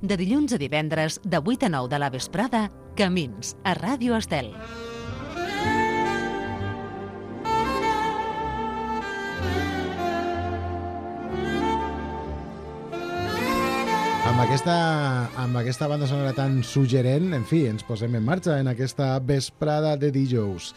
De dilluns a divendres, de 8 a 9 de la vesprada, Camins, a Ràdio Estel. Amb aquesta banda sonora tan suggerent, en fi, ens posem en marxa en aquesta vesprada de dijous.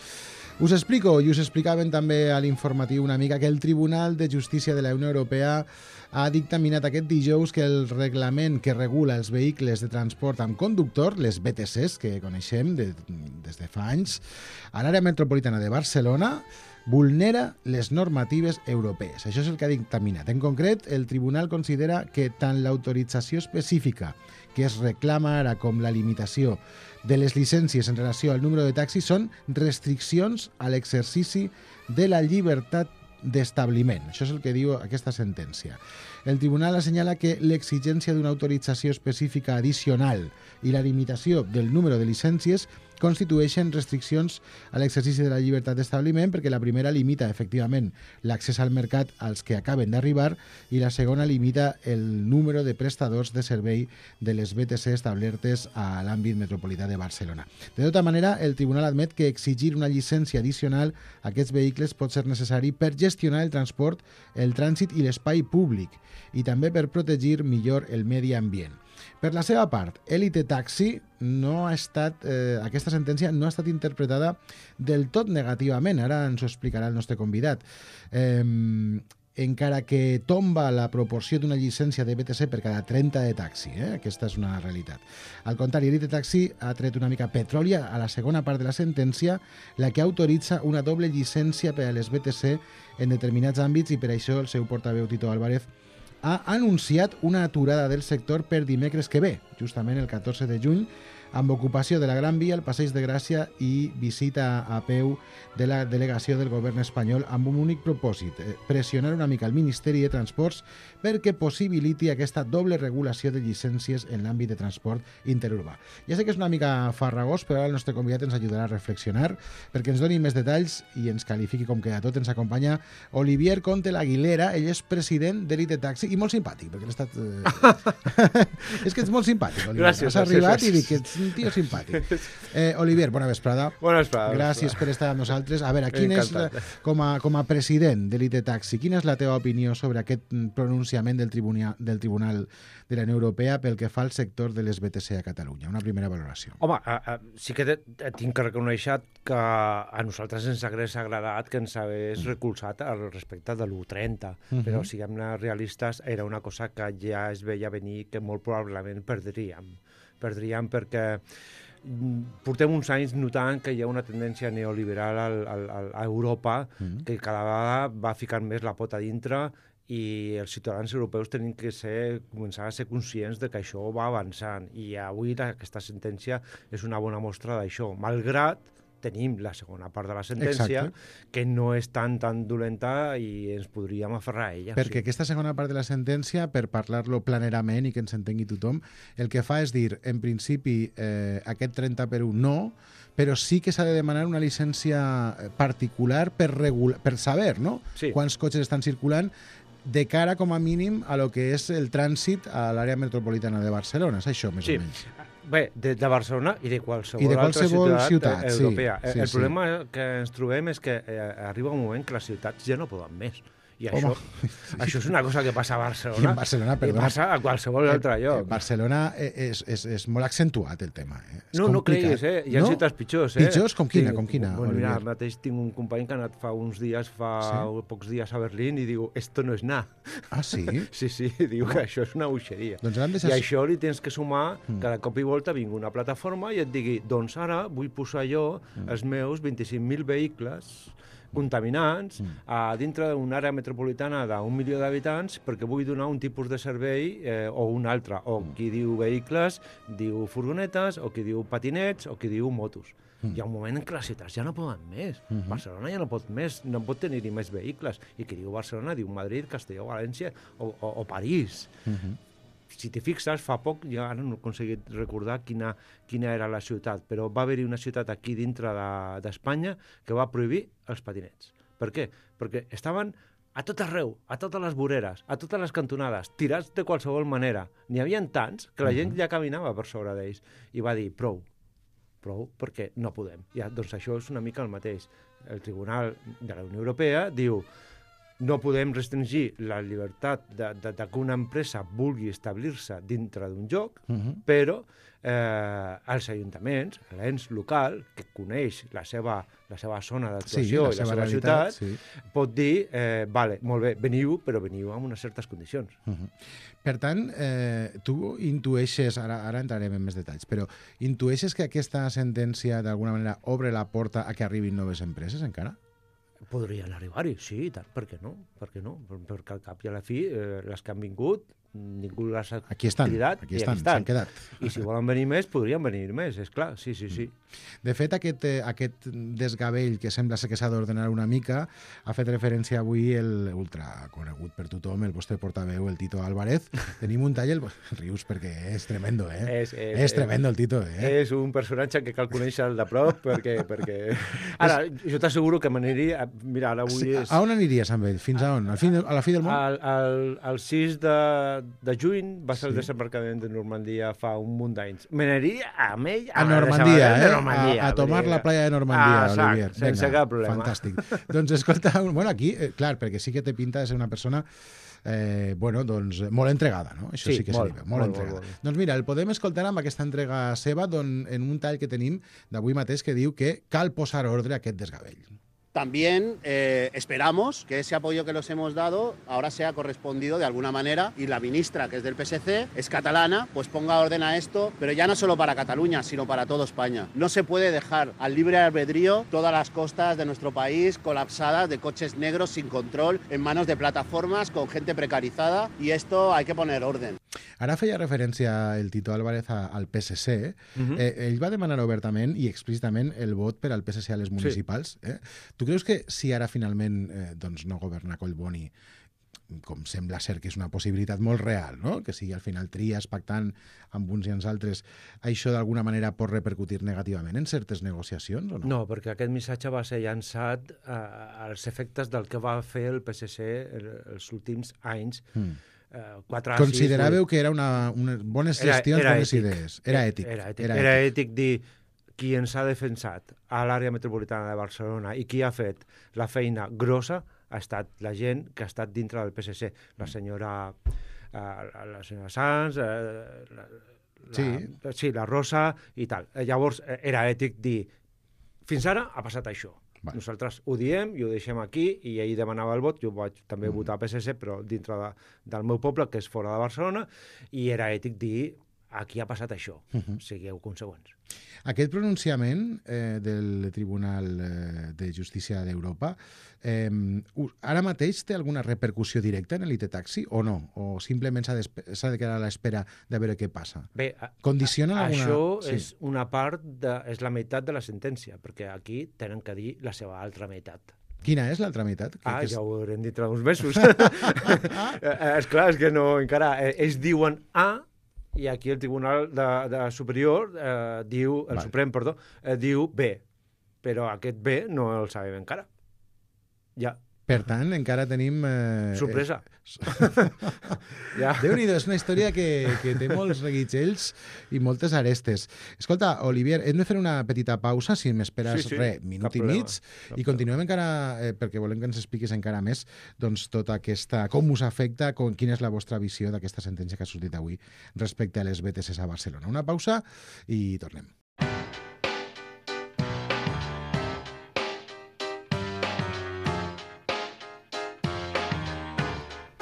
Us explico, i us explicaven també a l'informatiu una mica, que el Tribunal de Justícia de la Unió Europea ha dictaminat aquest dijous que el reglament que regula els vehicles de transport amb conductor, les VTCs que coneixem des de fa anys, a l'àrea metropolitana de Barcelona, vulnera les normatives europees. Això és el que ha dictaminat. En concret, el tribunal considera que tant l'autorització específica que es reclama ara com la limitació de les llicències en relació al número de taxis són restriccions a l'exercici de la llibertat d'establiment. Això és el que diu aquesta sentència. El tribunal assenyala que l'exigència d'una autorització específica addicional i la limitació del número de llicències constitueixen restriccions a l'exercici de la llibertat d'establiment perquè la primera limita efectivament l'accés al mercat als que acaben d'arribar i la segona limita el número de prestadors de servei de les VTC establertes a l'àmbit metropolità de Barcelona. De tota manera, el tribunal admet que exigir una llicència addicional a aquests vehicles pot ser necessari per gestionar el transport, el trànsit i l'espai públic i també per protegir millor el medi ambient. Per la seva part, Elite Taxi aquesta sentència no ha estat interpretada del tot negativament. Ara ens ho explicarà el nostre convidat. Encara que tomba la proporció d'una llicència de VTC per cada 30 de taxi. Aquesta és una realitat. Al contrari, Elite Taxi ha tret una mica petroli a la segona part de la sentència, la que autoritza una doble llicència per a les VTC en determinats àmbits i per això el seu portaveu Tito Álvarez ha anunciat una aturada del sector per dimecres que ve, justament el 14 de juny, amb ocupació de la Gran Via, el Passeig de Gràcia i visita a peu de la delegació del govern espanyol amb un únic propòsit, pressionar una mica el Ministeri de Transports perquè possibiliti aquesta doble regulació de llicències en l'àmbit de transport interurbà. Ja sé que és una mica farragós, però ara el nostre convidat ens ajudarà a reflexionar perquè ens doni més detalls i ens qualifiqui com que a tot. Ens acompanya Olivier Conte L'Aguilera, ell és president d'Elite Taxi i molt simpàtic, perquè l'he estat... és que ets molt simpàtic, Olivier. Gràcies. Has arribat i dic que ets un tio simpàtic. Olivier, bona vesprada. Bona vesprada. Gràcies per estar amb nosaltres. A veure, com a president d'Elite Taxi, quina és la teva opinió sobre aquest pronunciament del Tribunal de la Unió Europea pel que fa al sector de les VTC a Catalunya? Una primera valoració. Home, sí que tinc que reconèixer que a nosaltres ens hagués agradat que ens hagués recolzat al respecte de l'1.30, però siguem realistes, era una cosa que ja es veia venir que molt probablement perdríem perquè portem uns anys notant que hi ha una tendència neoliberal a Europa que cada vegada va ficant més la pota dintre i els ciutadans europeus tenim que començar a ser conscients de que això va avançant i avui aquesta sentència és una bona mostra d'això, malgrat tenim la segona part de la sentència, que no és tan dolenta i ens podríem aferrar a ella. Perquè aquesta segona part de la sentència, per parlar-lo planerament i que ens entengui tothom, el que fa és dir, en principi, aquest 30 per 1 no, però sí que s'ha de demanar una llicència particular per saber, no? Sí. Quants cotxes estan circulant de cara, com a mínim, a lo que és el trànsit a l'àrea metropolitana de Barcelona. És això, més o menys. Bé, de Barcelona i de qualsevol altra ciutat europea. Sí, el problema que ens trobem és que arriba un moment que les ciutats ja no poden més. I això és una cosa que passa a Barcelona. I en Barcelona, perdona. I passa a qualsevol altre lloc. Barcelona és molt accentuat, el tema. No creguis, hi ha ciutats pitjors. Pitjors? Com quina? Bueno, mira, mateix tinc un company que ha anat fa pocs dies a Berlín i diu, esto no és nada. Ah, sí? Sí, diu que això és una boixeria. Doncs I això li tens que sumar que de cop i volta vingui una plataforma i et digui, doncs ara vull posar jo els meus 25.000 vehicles contaminants a dintre d'una àrea metropolitana d'1 milió d'habitants perquè vull donar un tipus de servei o un altre. O qui diu vehicles, diu furgonetes, o qui diu patinets, o qui diu motos. Hi ha un moment en què les ciutats ja no poden més. Barcelona ja no pot més, no pot tenir-hi més vehicles. I qui diu Barcelona diu Madrid, Castelló, València o París. Si t'hi fixes, fa poc, ja ara no he aconseguit recordar quina era la ciutat, però va haver-hi una ciutat aquí dintre d'Espanya que va prohibir els patinets. Per què? Perquè estaven a tot arreu, a totes les voreres, a totes les cantonades, tirats de qualsevol manera. N'hi havia tants que la gent ja caminava per sobre d'ells. I va dir, prou, perquè no podem. Ja, doncs això és una mica el mateix. El Tribunal de la Unió Europea diu no podem restringir la llibertat de que una empresa vulgui establir-se dintre d'un lloc, però els ajuntaments, l'ens local, que coneix la seva zona d'actuació i la seva ciutat, pot dir, vale, molt bé, veniu, però veniu amb unes certes condicions. Per tant, tu intueixes, ara entrarem en més detalls, però intueixes que aquesta sentència d'alguna manera obre la porta a que arribin noves empreses encara? Podrien arribar-hi, sí, i tant, per què no? Perquè al cap i a la fi, les que han vingut, ningú les ha cridat aquí estan, s'han quedat. I si volen venir més, podrien venir més, és clar, sí. De fet, aquest desgavell que sembla ser que s'ha d'ordenar una mica ha fet referència avui el ultraconegut per tothom, el vostre portaveu, el Tito Álvarez. Tenim un tall, rius perquè és tremendo, És tremendo el Tito, És un personatge que cal conèixer de prop perquè... Ara, jo t'asseguro que m'aniria... Mira, ara avui és... A on aniries amb ell? Fins a on? A la fi del món? El 6 de juny va ser el desembarcament de Normandia fa un munt d'anys. M'aniria amb ell a Normandia, a tomar la playa de Normandia, Olivier. Sense cap problema. Fantàstic. Doncs escolta, bueno, aquí, clar, perquè sí que té pinta de ser una persona molt entregada, no? Això sí que se li veu, molt entregada. Doncs mira, el podem escoltar amb aquesta entrega seva en un tall que tenim d'avui mateix que diu que cal posar ordre a aquest desgavell. También esperamos que ese apoyo que los hemos dado ahora sea correspondido de alguna manera y la ministra, que es del PSC, es catalana, pues ponga orden a esto, pero ya no solo para Cataluña, sino para toda España. No se puede dejar al libre albedrío todas las costas de nuestro país colapsadas de coches negros sin control en manos de plataformas con gente precarizada y esto hay que poner orden. Ara feia referència el Tito Álvarez al PSC. Ell va demanar obertament i explícitament el vot per al PSC a les municipals. Tu creus que si ara finalment no governa Collboni, com sembla ser que és una possibilitat molt real, no? Que sigui al final Trias pactant amb uns i amb altres, això d'alguna manera pot repercutir negativament en certes negociacions o no? No, perquè aquest missatge va ser llançat als efectes del que va fer el PSC els últims anys. 4 Consideràveu que era una bones gestions, bones idees. Era ètic. Era ètic dir qui ens ha defensat a l'àrea metropolitana de Barcelona i qui ha fet la feina grossa ha estat la gent que ha estat dintre del PSC. La senyora Sanz, la Rosa i tal. Llavors era ètic dir fins ara ha passat això. Nosaltres ho diem i ho deixem aquí i ell demanava el vot, jo vaig també votar PSC però dintre del meu poble que és fora de Barcelona i era ètic dir aquí ha passat això, sigueu consegüents. Aquest pronunciament del Tribunal de Justícia d'Europa ara mateix té alguna repercussió directa en l'IT Taxi o no? O simplement s'ha de quedar a l'espera de veure què passa? Bé, condiciona alguna... Això és una part, és la meitat de la sentència, perquè aquí tenen que dir la seva altra meitat. Quina és l'altra meitat? Ja ho haurem dintre d'uns mesos. Esclar, és que no, encara... Ells diuen A, i aquí el Tribunal Superior diu, el Suprem, perdó, diu B, però aquest B no el sabem encara. Ja. Per tant, encara tenim... Sorpresa. Déu-n'hi-do, és una història que té molts reguitzells i moltes arestes. Escolta, Olivier, hem de fer una petita pausa, si m'esperes minut i mig, i continuem encara, perquè volem que ens expliquis encara més doncs, tota aquesta, com us afecta, quina és la vostra visió d'aquesta sentència que ha sortit avui respecte a les BTCs a Barcelona. Una pausa i tornem.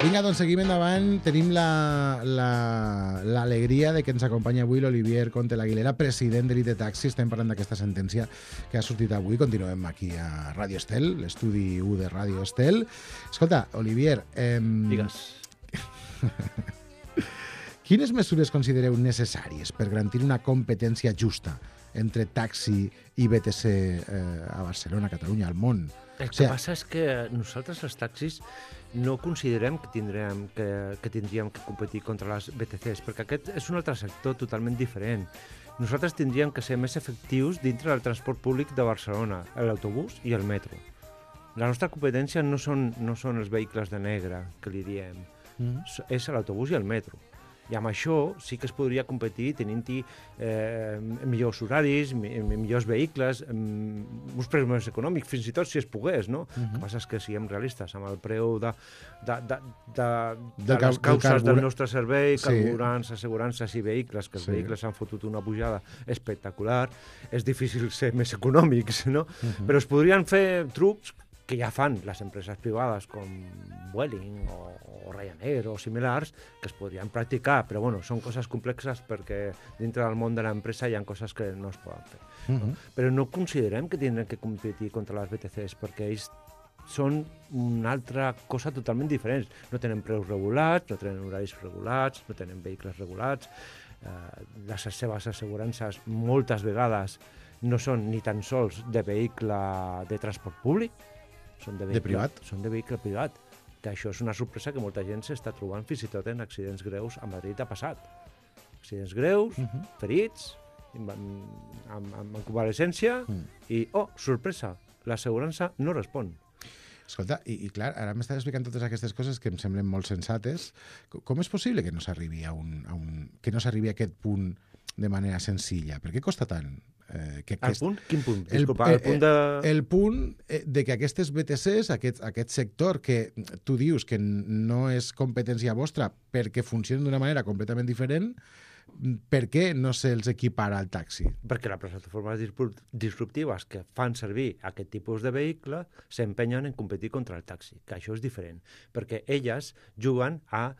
Vinga, doncs seguim endavant. Tenim l'alegria de que ens acompanya avui l'Olivier Conte l'Aguilera, president de l'IT Taxi. Estem parlant d'aquesta sentència que ha sortit avui. Continuem aquí a Ràdio Estel, l'estudi 1 de Ràdio Estel. Escolta, Olivier... Digues. Quines mesures considereu necessàries per garantir una competència justa entre taxi i BTC a Barcelona, a Catalunya, al món? El que passa és que nosaltres, els taxis, no considerem que tindríem que competir contra les BTCs, perquè aquest és un altre sector totalment diferent. Nosaltres tindríem que ser més efectius dintre del transport públic de Barcelona, l'autobús i el metro. La nostra competència no són els vehicles de negre, que li diem. És l'autobús i el metro. I amb això sí que es podria competir tenint-hi millors horaris, millors vehicles, uns preus més econòmics, fins i tot si es pogués, no? El que passa és que siguem realistes, amb el preu de les causes del nostre servei, carburants, assegurances i vehicles, que els vehicles han fotut una pujada espectacular, és difícil ser més econòmics, no? Però es podrien fer trucs que ja fan les empreses privades com Vueling o Ryanair o similars, que es podrien practicar, però bueno, són coses complexes perquè dintre del món de l'empresa hi ha coses que no es poden fer. Però no considerem que tindrem que competir contra les BTCs, perquè ells són una altra cosa totalment diferent. No tenen preus regulats, no tenen horaris regulats, no tenen vehicles regulats, les seves assegurances moltes vegades no són ni tan sols de vehicle de transport públic, són de vehicle privat, que això és una sorpresa que molta gent s'està trobant fins i tot en accidents greus a Madrid ha passat. Accidents greus, ferits, amb convalescència i, sorpresa, l'assegurança no respon. Escolta, i clar, ara m'estàs explicant totes aquestes coses que em semblen molt sensates. Com és possible que no s'arribi a aquest punt de manera senzilla? Per què costa tant? Punt? Quin punt? Disculpa, el punt de que aquestes BTCs, aquest sector que tu dius que no és competència vostra perquè funcionen d'una manera completament diferent, per què no se'ls equipara al taxi? Perquè les plataformes disruptives que fan servir aquest tipus de vehicle s'empenyen en competir contra el taxi, que això és diferent, perquè elles juguen a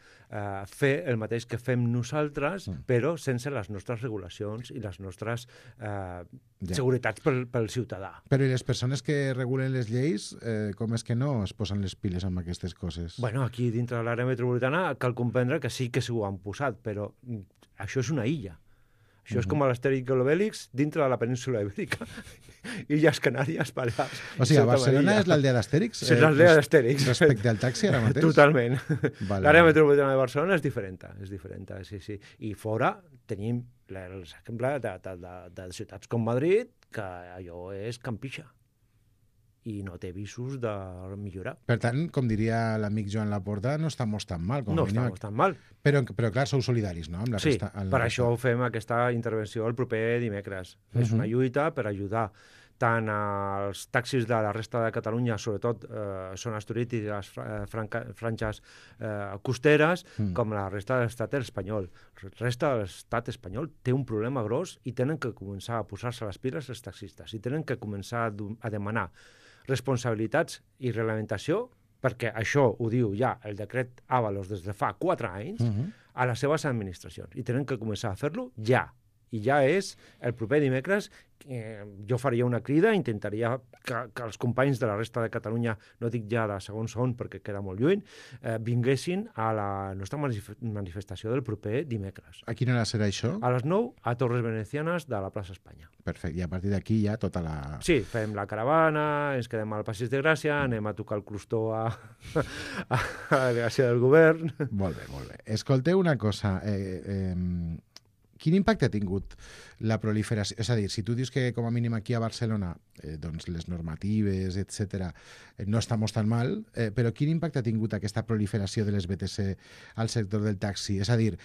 fer el mateix que fem nosaltres, però sense les nostres regulacions i les nostres seguretats pel ciutadà. Però i les persones que regulen les lleis, com és que no es posen les piles amb aquestes coses? Bueno, aquí dintre de l'àrea metropolitana cal comprendre que sí que s'ho han posat, però això és una illa. Això és com l'Astèrix i l'Obèlix dintre de la península ibèrica. Illes Canàries, Balears. O sigui, a Barcelona és l'aldea d'Astèrix? És l'aldea d'Astèrix. Respecte al taxi ara mateix? Totalment. L'àrea metropolitana de Barcelona és diferent, sí. I fora tenim l'exemple de ciutats com Madrid, que allò és campixa i no té visos de millorar. Per tant, com diria l'amic Joan Laporta, no estamos tan mal. No estamos tan mal. Però clar, sou solidaris, no? Amb la sí, resta, per això fem aquesta intervenció el proper dimecres. És una lluita per ajudar tant als taxis de la resta de Catalunya, sobretot zones turístiques, franges costeres, com la resta de l'estat espanyol. La resta de l'estat espanyol té un problema gros i tenen que començar a posar-se les piles els taxistes i tenen que començar a demanar responsabilitats i reglamentació, perquè això ho diu ja el decret Ábalos des de fa 4 anys, a les seves administracions. I tenen que començar a fer-lo ja. I ja és el proper dimecres, jo faria una crida, intentaria que els companys de la resta de Catalunya, no dic ja de segons on perquè queda molt lluny, vinguessin a la nostra manifestació del proper dimecres. A quina hora serà això? A les 9, a Torres Venecianes de la plaça Espanya. Perfecte, i a partir d'aquí ja tota la... Sí, fem la caravana, ens quedem al Passeig de Gràcia, anem a tocar el crostó a la delegació del govern... Molt bé. Escolteu una cosa... Quin impacte ha tingut la proliferació? És a dir, si tu dius que com a mínim aquí a Barcelona doncs les normatives, etc no estamos tan mal, però quin impacte ha tingut aquesta proliferació de les BTC al sector del taxi? És a dir,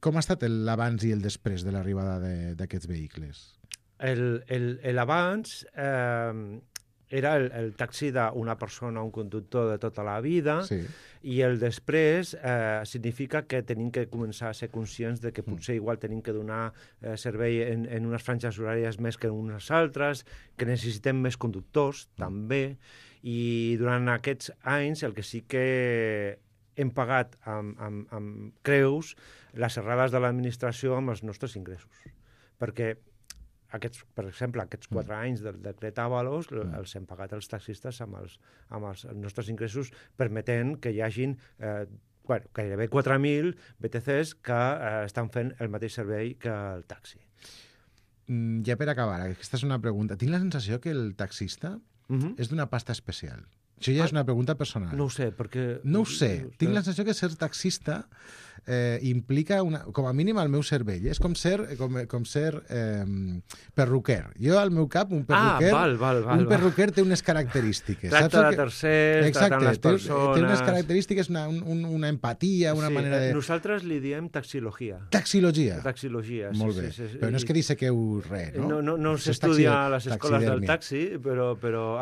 com ha estat l'abans i el després de l'arribada d'aquests vehicles? L'abans era el taxi d'una persona, un conductor de tota la vida, sí. I el després significa que tenim que començar a ser conscients de que potser igual tenim que donar servei en unes franges horàries més que en unes altres, que necessitem més conductors, també, i durant aquests anys el que sí que hem pagat amb creus les errades de l'administració amb els nostres ingressos. Perquè per exemple, aquests 4 anys del decret Ábalos els hem pagat els taxistes amb els nostres ingressos, permetent que hi hagin gairebé 4.000 BTCs que estan fent el mateix servei que el taxi. Ja per acabar, aquesta és una pregunta. Tinc la sensació que el taxista és d'una pasta especial. Això ja és una pregunta personal. No ho sé, perquè... No ho sé. Tinc la sensació que ser taxista implica, com a mínim al meu cervell, és com ser perruquer. Jo, al meu cap, un perruquer té unes característiques. Tracta de tercers, tracta amb les persones... Té unes característiques, una empatia, una manera de... Nosaltres li diem taxilogia. Taxilogia. Taxilogia, sí. Molt bé. Però no és que dissequeu res, no? No s'estudia a les escoles del taxi, però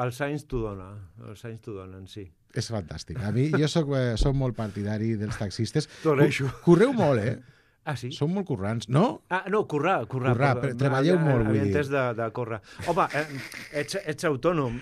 els anys t'ho dona. Els anys t'ho donen, sí. És fantàstic. A mi, jo soc molt partidari dels taxistes. T'ho agraeixo. Correu molt, eh? Ah, sí? Són molt currants, no? Ah, no, currar. Treballeu molt, vull dir. Havia entès de córrer. Home, ets autònom.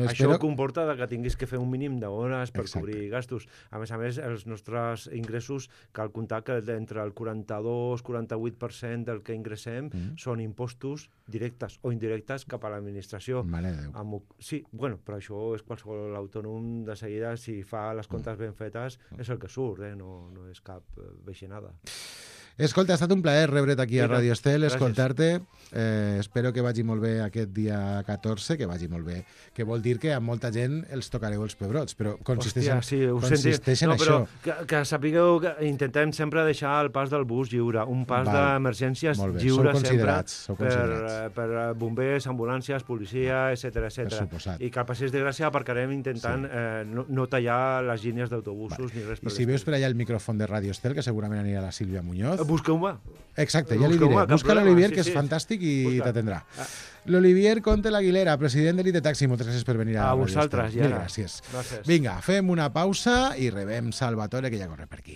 Això comporta que tinguis que fer un mínim d'hores per cobrir gastos. A més, els nostres ingressos, cal comptar que entre el 42-48% del que ingressem són impostos directes o indirectes cap a l'administració. Mare de Déu. Sí, bueno, però això és qualsevol autònom de seguida, si fa les comptes ben fetes, és el que surt, no és cap veixinada. Escolta, ha estat un plaer rebre't aquí a Radio Estel, escoltar-te. Espero que vagi molt bé aquest dia 14, que vagi molt bé. Que vol dir que a molta gent els tocareu els pebrots, però consisteix en això. Que sapigueu que intentem sempre deixar el pas del bus lliure, un pas d'emergències lliure sempre per bombers, ambulàncies, policia, etc. I que al Passeig de Gràcia aparcarem intentant no tallar les línies d'autobusos ni res per I si veus per allà el micròfon de Radio Estel, que segurament anirà la Sílvia Muñoz, busqueu-me. Exacte, ja li diré. Busca l'Olivier, que és fantàstic i t'atendrà. L'Olivier Conte l'Aguilera, president d'Elite Taxi, moltes gràcies per venir a vosaltres. Mil gràcies. Vinga, fem una pausa i rebem Salvatore, que ja corre per aquí.